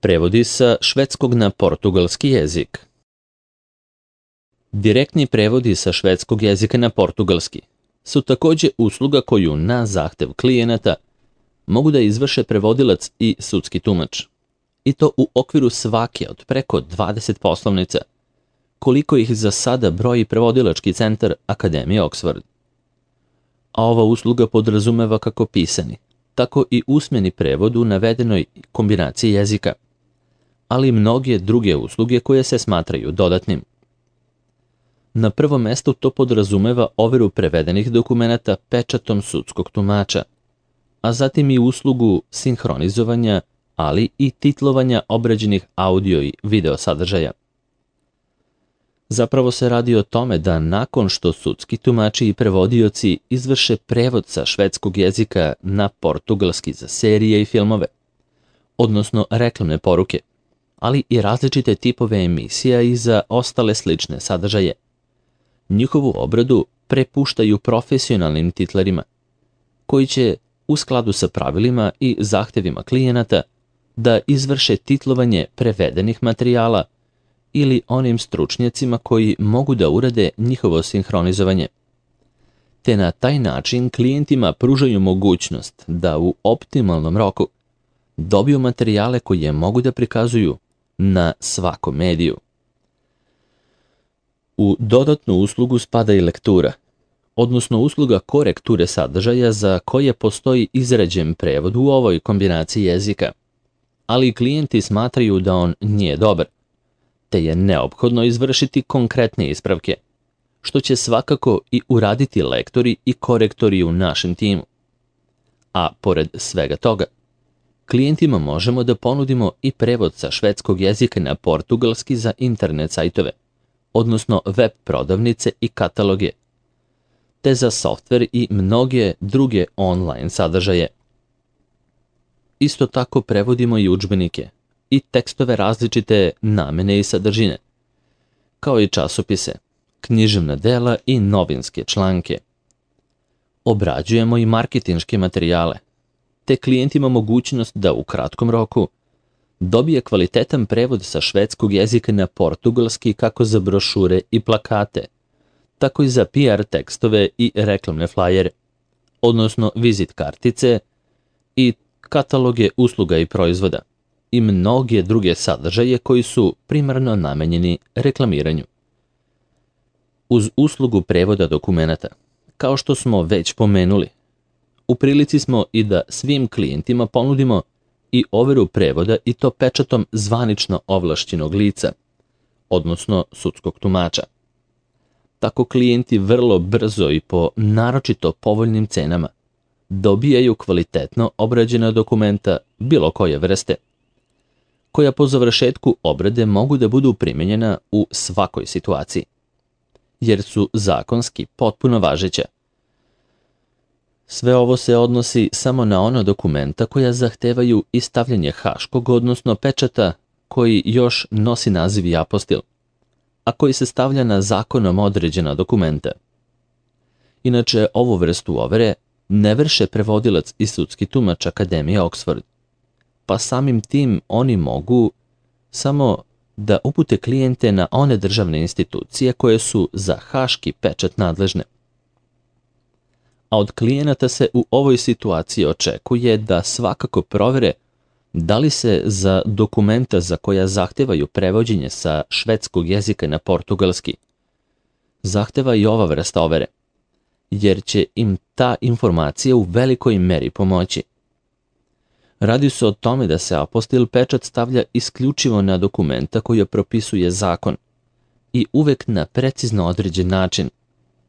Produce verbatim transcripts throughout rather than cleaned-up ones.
Prevodi sa švedskog na portugalski jezik. Direktni prevodi sa švedskog jezika na portugalski su takođe usluga koju na zahtev klijenata mogu da izvrše prevodilac i sudski tumač. I to u okviru svake od preko dvadeset poslovnica, koliko ih za sada broji prevodilački centar Akademije Oxford. A ova usluga podrazumeva kako pisani, tako i usmeni prevod u navedenoj kombinaciji jezika, ali i mnoge druge usluge koje se smatraju dodatnim. Na prvom mestu to podrazumeva overu prevedenih dokumenata pečatom sudskog tumača, a zatim i uslugu sinhronizovanja, ali i titlovanja obrađenih audio i video sadržaja. Zapravo se radi o tome da nakon što sudski tumači i prevodioci izvrše prevod sa švedskog jezika na portugalski za serije i filmove, odnosno reklamne poruke, ali i različite tipove emisija i za ostale slične sadržaje, njihovu obradu prepuštaju profesionalnim titlerima, koji će u skladu sa pravilima i zahtevima klijenata da izvrše titlovanje prevedenih materijala ili onim stručnjacima koji mogu da urade njihovo sinhronizovanje. Te na taj način klijentima pružaju mogućnost da u optimalnom roku dobiju materijale koje mogu da prikazuju na svakom mediju. U dodatnu uslugu spada i lektura, odnosno usluga korekture sadržaja za koje postoji izrađen prevod u ovoj kombinaciji jezika, ali klijenti smatraju da on nije dobar, te je neophodno izvršiti konkretne ispravke, što će svakako i uraditi lektori i korektori u našem timu. A pored svega toga, klijentima možemo da ponudimo i prevod sa švedskog jezika na portugalski za internet sajtove, odnosno web prodavnice i kataloge, te za softver i mnoge druge online sadržaje. Isto tako prevodimo i udžbenike i tekstove različite namene i sadržine, kao i časopise, književna dela i novinske članke. Obrađujemo i marketinške materijale, te klijentima mogućnost da u kratkom roku dobije kvalitetan prevod sa švedskog jezika na portugalski kako za brošure i plakate, tako i za P R tekstove i reklamne flajere, odnosno vizit kartice i kataloge usluga i proizvoda i mnoge druge sadržaje koji su primarno namenjeni reklamiranju. Uz uslugu prevoda dokumenata, kao što smo već pomenuli, u prilici smo i da svim klijentima ponudimo i overu prevoda i to pečatom zvanično ovlašćenog lica, odnosno sudskog tumača. Tako klijenti vrlo brzo i po naročito povoljnim cenama dobijaju kvalitetno obrađena dokumenta bilo koje vrste, koja po završetku obrade mogu da budu primjenjena u svakoj situaciji, jer su zakonski potpuno važeća. Sve ovo se odnosi samo na ona dokumenta koja zahtevaju i stavljanje haškog, odnosno pečata koji još nosi naziv i apostil, a koji se stavlja na zakonom određena dokumenta. Inače, ovu vrstu overe ne vrše prevodilac i sudski tumač Akademije Oxford, pa samim tim oni mogu samo da upute klijente na one državne institucije koje su za haški pečat nadležne. A od klijenata se u ovoj situaciji očekuje da svakako provere da li se za dokumenta za koja zahtevaju prevođenje sa švedskog jezika na portugalski zahteva i ova vrsta overe, jer će im ta informacija u velikoj meri pomoći. Radi se o tome da se apostil pečat stavlja isključivo na dokumenta koje propisuje zakon i uvek na precizno određen način,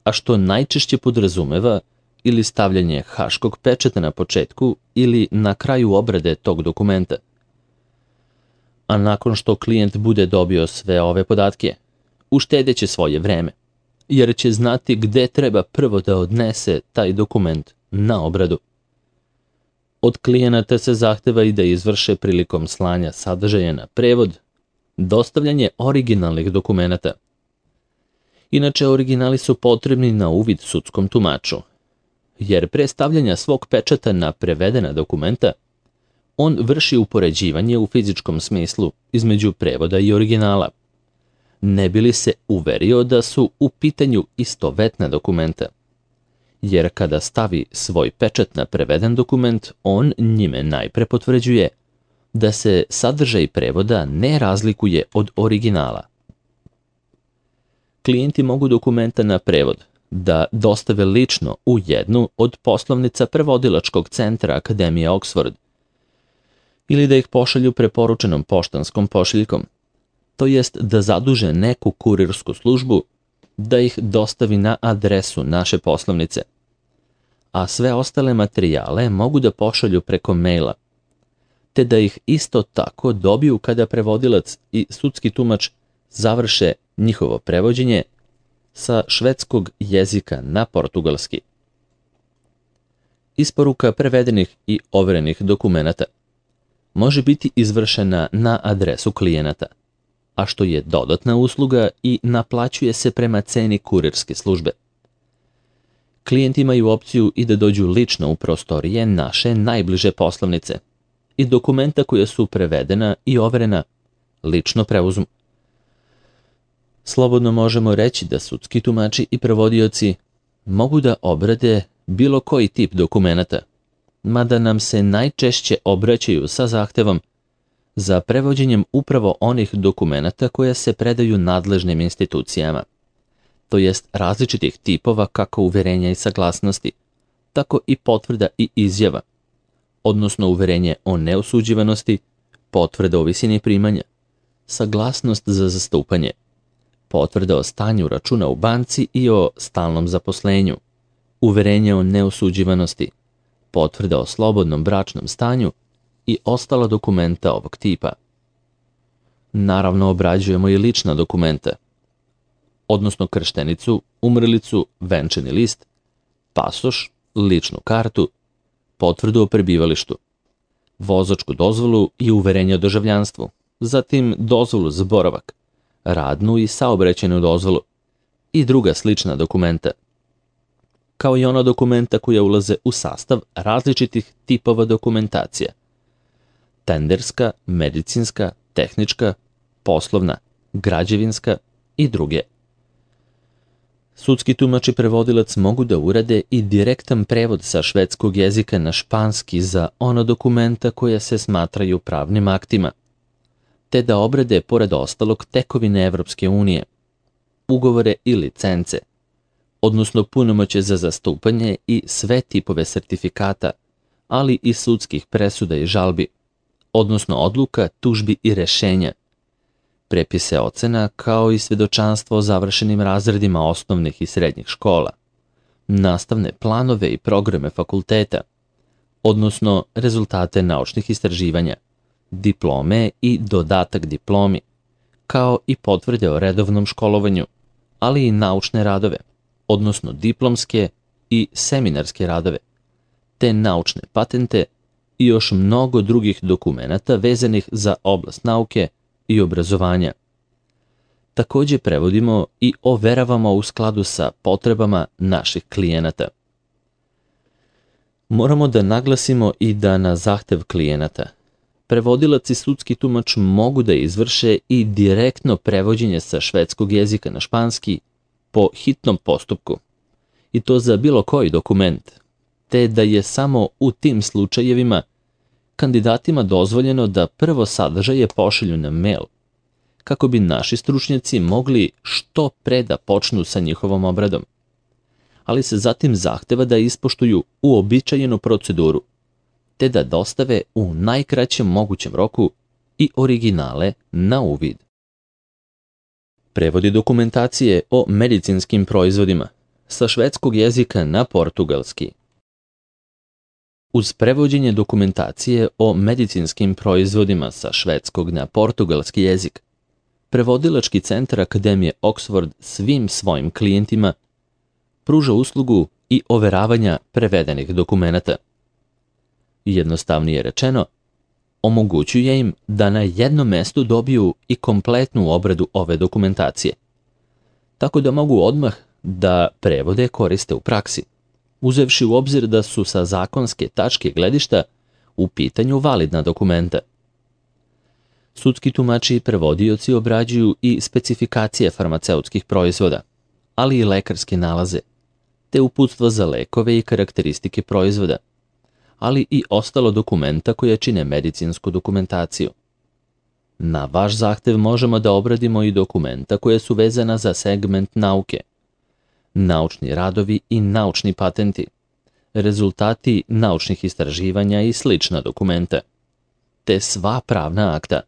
a što najčešće podrazumeva ili stavljanje haškog pečata na početku ili na kraju obrade tog dokumenta. A nakon što klijent bude dobio sve ove podatke, uštedeće svoje vreme, jer će znati gde treba prvo da odnese taj dokument na obradu. Od klijenata se zahteva i da izvrše prilikom slanja sadržaja na prevod dostavljanje originalnih dokumenata. Inače, originali su potrebni na uvid sudskom tumaču, jer pre stavljanja svog pečata na prevedena dokumenta, On vrši upoređivanje u fizičkom smislu između prevoda i originala, ne bi li se uverio da su u pitanju istovetna dokumenta. Jer kada stavi svoj pečat na preveden dokument, on njime najpre potvrđuje da se sadržaj prevoda ne razlikuje od originala. Klijenti mogu dokumenta na prevod da dostave lično u jednu od poslovnica prevodilačkog centra Akademije Oxford ili da ih pošalju preporučenom poštanskom pošiljkom, to jest da zaduže neku kurirsku službu da ih dostavi na adresu naše poslovnice, a sve ostale materijale mogu da pošalju preko maila, te da ih isto tako dobiju kada prevodilac i sudski tumač završe njihovo prevođenje sa švedskog jezika na portugalski. Isporuka prevedenih i overenih dokumenata može biti izvršena na adresu klijenata, a što je dodatna usluga i naplaćuje se prema ceni kurirske službe. Klijenti imaju opciju i da dođu lično u prostorije naše najbliže poslovnice i dokumenta koja su prevedena i overena lično preuzmu. Slobodno možemo reći da sudski tumači i prevodioci mogu da obrade bilo koji tip dokumenata, mada nam se najčešće obraćaju sa zahtevom za prevođenjem upravo onih dokumenata koje se predaju nadležnim institucijama, to jest različitih tipova kako uverenja i saglasnosti, tako i potvrda i izjava, odnosno uverenje o neosuđivanosti, potvrda o visini primanja, saglasnost za zastupanje, potvrda o stanju računa u banci i o stalnom zaposlenju, uverenje o neosuđivanosti, potvrda o slobodnom bračnom stanju i ostala dokumenta ovog tipa. Naravno, obrađujemo i lična dokumenta, odnosno krštenicu, umrlicu, venčani list, pasoš, ličnu kartu, potvrdu o prebivalištu, vozačku dozvolu i uverenje o državljanstvu, zatim dozvolu za boravak, radnu i saobraćajnu dozvolu i druga slična dokumenta, kao i ona dokumenta koja ulaze u sastav različitih tipova dokumentacija: tenderska, medicinska, tehnička, poslovna, građevinska i druge. Sudski tumač i prevodilac mogu da urade i direktan prevod sa švedskog jezika na španski za ona dokumenta koja se smatraju pravnim aktima, te da obrade, pored ostalog, tekovine Evropske unije, ugovore i licence, odnosno punomoćje za zastupanje i sve tipove sertifikata, ali i sudskih presuda i žalbi, odnosno odluka, tužbi i rešenja, prepise ocena, kao i svedočanstvo o završenim razredima osnovnih i srednjih škola, nastavne planove i programe fakulteta, odnosno rezultate naučnih istraživanja, diplome i dodatak diplomi, kao i potvrde o redovnom školovanju, ali i naučne radove, odnosno diplomske i seminarske radove, te naučne patente i još mnogo drugih dokumenata vezanih za oblast nauke i obrazovanja. Takođe prevodimo i overavamo u skladu sa potrebama naših klijenata. Moramo da naglasimo i da na zahtev klijenata prevodilac i sudski tumač mogu da izvrše i direktno prevođenje sa švedskog jezika na španski po hitnom postupku, i to za bilo koji dokument, te da je samo u tim slučajevima kandidatima dozvoljeno da prvo sadržaje pošalju na mail, kako bi naši stručnjaci mogli što pre da počnu sa njihovom obradom, ali se zatim zahteva da ispoštuju uobičajenu proceduru, te da dostave u najkraćem mogućem roku i originale na uvid. Prevodi dokumentacije o medicinskim proizvodima sa švedskog jezika na portugalski. Uz prevođenje dokumentacije o medicinskim proizvodima sa švedskog na portugalski jezik, prevodilački centar Akademije Oxford svim svojim klijentima pruža uslugu i overavanja prevedenih dokumenata. Jednostavnije rečeno, omogućuje im da na jednom mestu dobiju i kompletnu obradu ove dokumentacije, tako da mogu odmah da prevode koriste u praksi, uzevši u obzir da su sa zakonske tačke gledišta u pitanju validna dokumenta. Sudski tumači i prevodioci obrađuju i specifikacije farmaceutskih proizvoda, ali i lekarske nalaze, te uputstva za lekove i karakteristike proizvoda, ali i ostalo dokumenta koje čine medicinsku dokumentaciju. Na vaš zahtev možemo da obradimo i dokumenta koje su vezana za segment nauke, naučni radovi i naučni patenti, rezultati naučnih istraživanja i slična dokumenta, te sva pravna akta,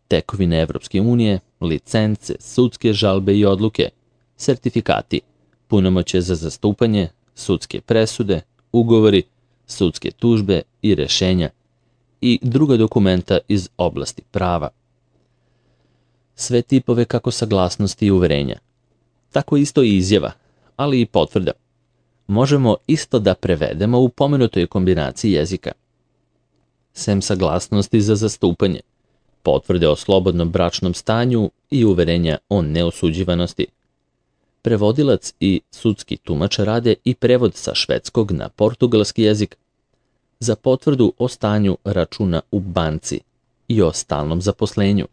tekovine Evropske unije, licence, sudske žalbe i odluke, sertifikati, punomoćje za zastupanje, sudske presude, ugovori, sudske tužbe i rešenja i druga dokumenta iz oblasti prava. Sve tipove kako saglasnosti i uverenja, tako isto i izjava, ali i potvrda, možemo isto da prevedemo u pomenutoj kombinaciji jezika. Sem saglasnosti za zastupanje, potvrde o slobodnom bračnom stanju i uverenja o neosuđivanosti, prevodilac i sudski tumač rade i prevod sa švedskog na portugalski jezik za potvrdu o stanju računa u banci i o stalnom zaposlenju,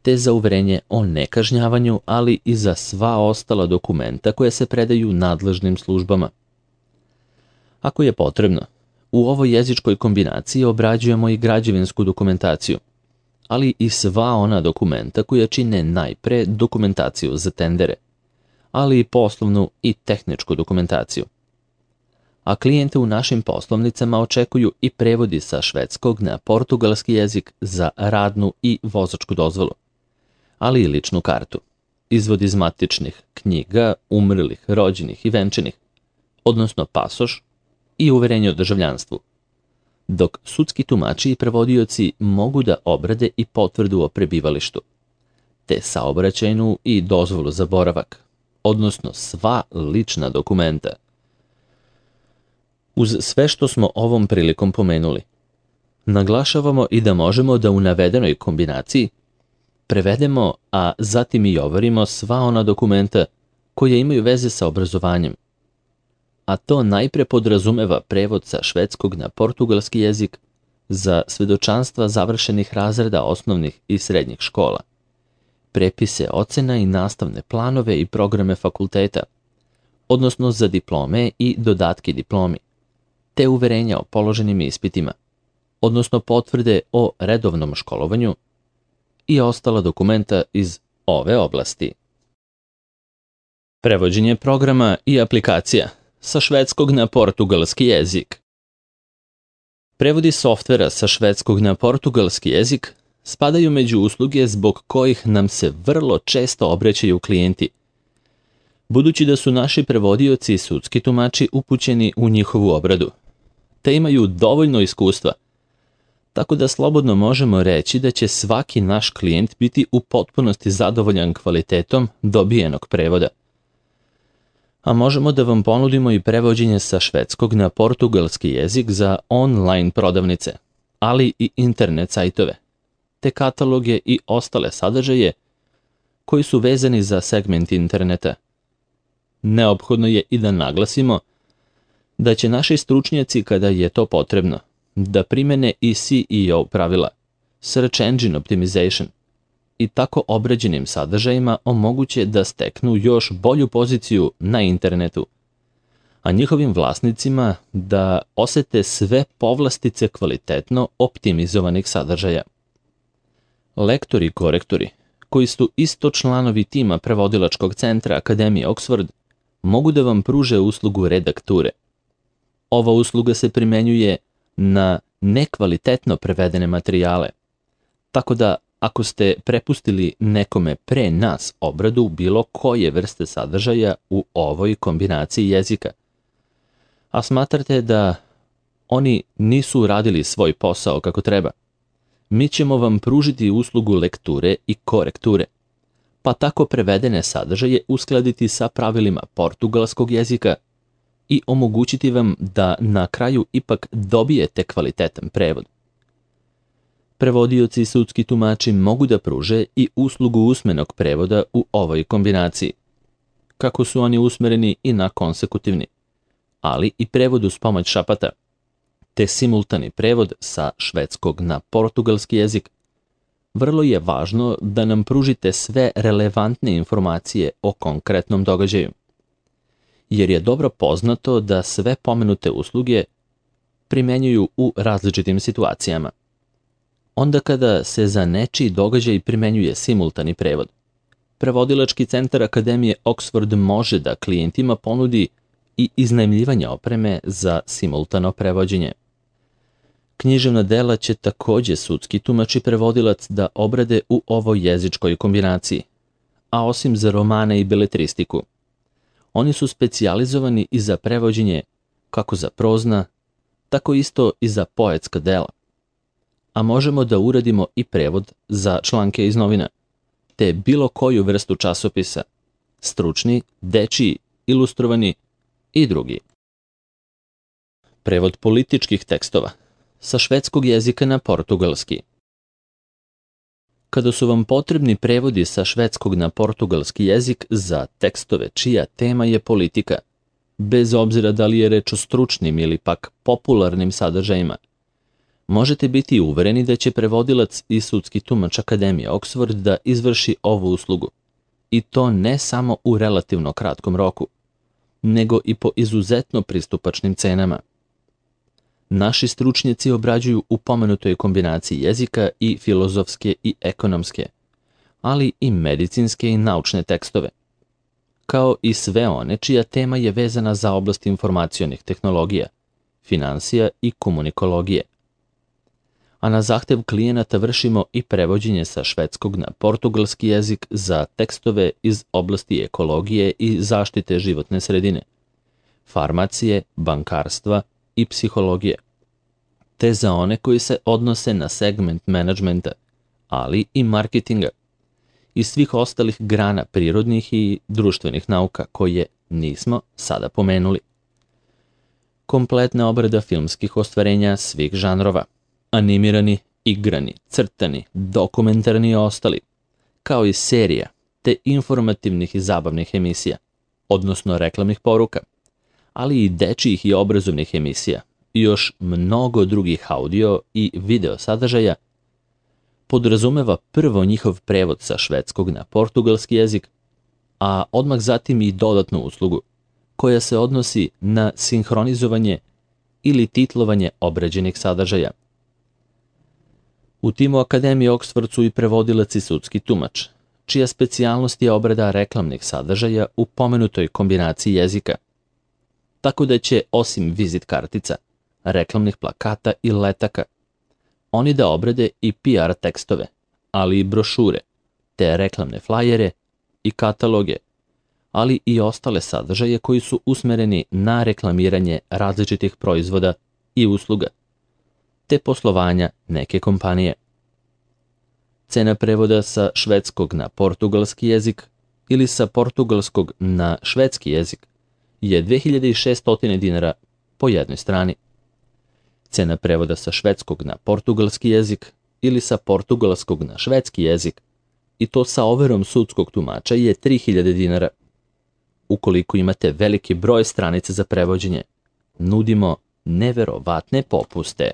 te za uverenje o nekažnjavanju, ali i za sva ostala dokumenta koje se predaju nadležnim službama. Ako je potrebno, u ovoj jezičkoj kombinaciji obrađujemo i građevinsku dokumentaciju, ali i sva ona dokumenta koja čine najpre dokumentaciju za tendere, ali i poslovnu i tehničku dokumentaciju. A klijente u našim poslovnicama očekuju i prevodi sa švedskog na portugalski jezik za radnu i vozačku dozvolu, ali i ličnu kartu, izvod iz matičnih knjiga, umrlih, rođenih i venčanih, odnosno pasoš i uverenje o državljanstvu, dok sudski tumači i prevodioci mogu da obrade i potvrdu o prebivalištu, te saobraćajnu i dozvolu za boravak, odnosno sva lična dokumenta. Uz sve što smo ovom prilikom pomenuli, naglašavamo i da možemo da u navedenoj kombinaciji prevedemo, a zatim i overimo sva ona dokumenta koje imaju veze sa obrazovanjem, a to najpre podrazumeva prevod sa švedskog na portugalski jezik za svedočanstva završenih razreda osnovnih i srednjih škola, prepise ocena i nastavne planove i programe fakulteta, odnosno za diplome i dodatke diplomi, te uverenja o položenim ispitima, odnosno potvrde o redovnom školovanju i ostala dokumenta iz ove oblasti. Prevođenje programa i aplikacija sa švedskog na portugalski jezik. Prevodi softvera sa švedskog na portugalski jezik spadaju među usluge zbog kojih nam se vrlo često obraćaju klijenti, budući da su naši prevodioci i sudski tumači upućeni u njihovu obradu, te imaju dovoljno iskustva, tako da slobodno možemo reći da će svaki naš klijent biti u potpunosti zadovoljan kvalitetom dobijenog prevoda. A možemo da vam ponudimo i prevođenje sa švedskog na portugalski jezik za online prodavnice, ali i internet sajtove, te kataloge i ostale sadržaje koji su vezani za segment interneta. Neophodno je i da naglasimo da će naši stručnjaci, kada je to potrebno, da primene i S E O pravila, Search Engine Optimization, i tako obrađenim sadržajima omoguće da steknu još bolju poziciju na internetu, a njihovim vlasnicima da osete sve povlastice kvalitetno optimizovanih sadržaja. Lektori i korektori, koji su isto članovi tima prevodilačkog centra Akademije Oxford, mogu da vam pruže uslugu redakture. Ova usluga se primenjuje na nekvalitetno prevedene materijale, tako da ako ste prepustili nekome pre nas obradu bilo koje vrste sadržaja u ovoj kombinaciji jezika, a smatrate da oni nisu uradili svoj posao kako treba, mi ćemo vam pružiti uslugu lekture i korekture, pa tako prevedene sadržaje uskladiti sa pravilima portugalskog jezika i omogućiti vam da na kraju ipak dobijete kvalitetan prevod. Prevodioci i sudski tumači mogu da pruže i uslugu usmenog prevoda u ovoj kombinaciji, kako su oni usmereni i na konsekutivni, ali i prevod uz pomoć šapata, te simultani prevod sa švedskog na portugalski jezik, vrlo je važno da nam pružite sve relevantne informacije o konkretnom događaju, jer je dobro poznato da sve pomenute usluge primenjuju u različitim situacijama. Onda kada se za nečiji događaj primenjuje simultani prevod, prevodilački centar Akademije Oxford može da klijentima ponudi i iznajmljivanje opreme za simultano prevođenje. Književna dela će takođe sudski tumač i prevodilac da obrade u ovoj jezičkoj kombinaciji, a osim za romane i beletristiku, oni su specijalizovani i za prevođenje kako za prozna, tako isto i za poetska dela. A možemo da uradimo i prevod za članke iz novina, te bilo koju vrstu časopisa, stručni, dečiji, ilustrovani i drugi. Prevod političkih tekstova sa švedskog jezika na portugalski. Kada su vam potrebni prevodi sa švedskog na portugalski jezik za tekstove čija tema je politika, bez obzira da li je reč o stručnim ili pak popularnim sadržajima, možete biti uvereni da će prevodilac i sudski tumač Akademije Oxford da izvrši ovu uslugu, i to ne samo u relativno kratkom roku, nego i po izuzetno pristupačnim cenama. Naši stručnjaci obrađuju u pomenutoj kombinaciji jezika i filozofske i ekonomske, ali i medicinske i naučne tekstove, kao i sve one čija tema je vezana za oblast informacionih tehnologija, finansija i komunikologije. A na zahtev klijenata vršimo i prevođenje sa švedskog na portugalski jezik za tekstove iz oblasti ekologije i zaštite životne sredine, farmacije, bankarstva i psihologije, te za one koji se odnose na segment menadžmenta, ali i marketinga i svih ostalih grana prirodnih i društvenih nauka koje nismo sada pomenuli. Kompletna obrada filmskih ostvarenja svih žanrova, animirani, igrani, crtani, dokumentarni i ostali, kao i serija, te informativnih i zabavnih emisija, odnosno reklamnih poruka, ali i dečijih i obrazovnih emisija i još mnogo drugih audio i video sadržaja, podrazumeva prvo njihov prevod sa švedskog na portugalski jezik, a odmah zatim i dodatnu uslugu, koja se odnosi na sinhronizovanje ili titlovanje obrađenih sadržaja. U timu Akademije Oxford su i prevodilac i sudski tumač, čija specijalnost je obrada reklamnih sadržaja u pomenutoj kombinaciji jezika, tako da će osim vizit kartica, reklamnih plakata i letaka, oni da obrade i P R tekstove, ali i brošure, te reklamne flajere i kataloge, ali i ostale sadržaje koji su usmereni na reklamiranje različitih proizvoda i usluga, te poslovanja neke kompanije. Cena prevoda sa švedskog na portugalski jezik ili sa portugalskog na švedski jezik je dve hiljade šesto dinara po jednoj strani. Cena prevoda sa švedskog na portugalski jezik ili sa portugalskog na švedski jezik, i to sa overom sudskog tumača, je tri hiljade dinara. Ukoliko imate veliki broj stranica za prevođenje, nudimo neverovatne popuste.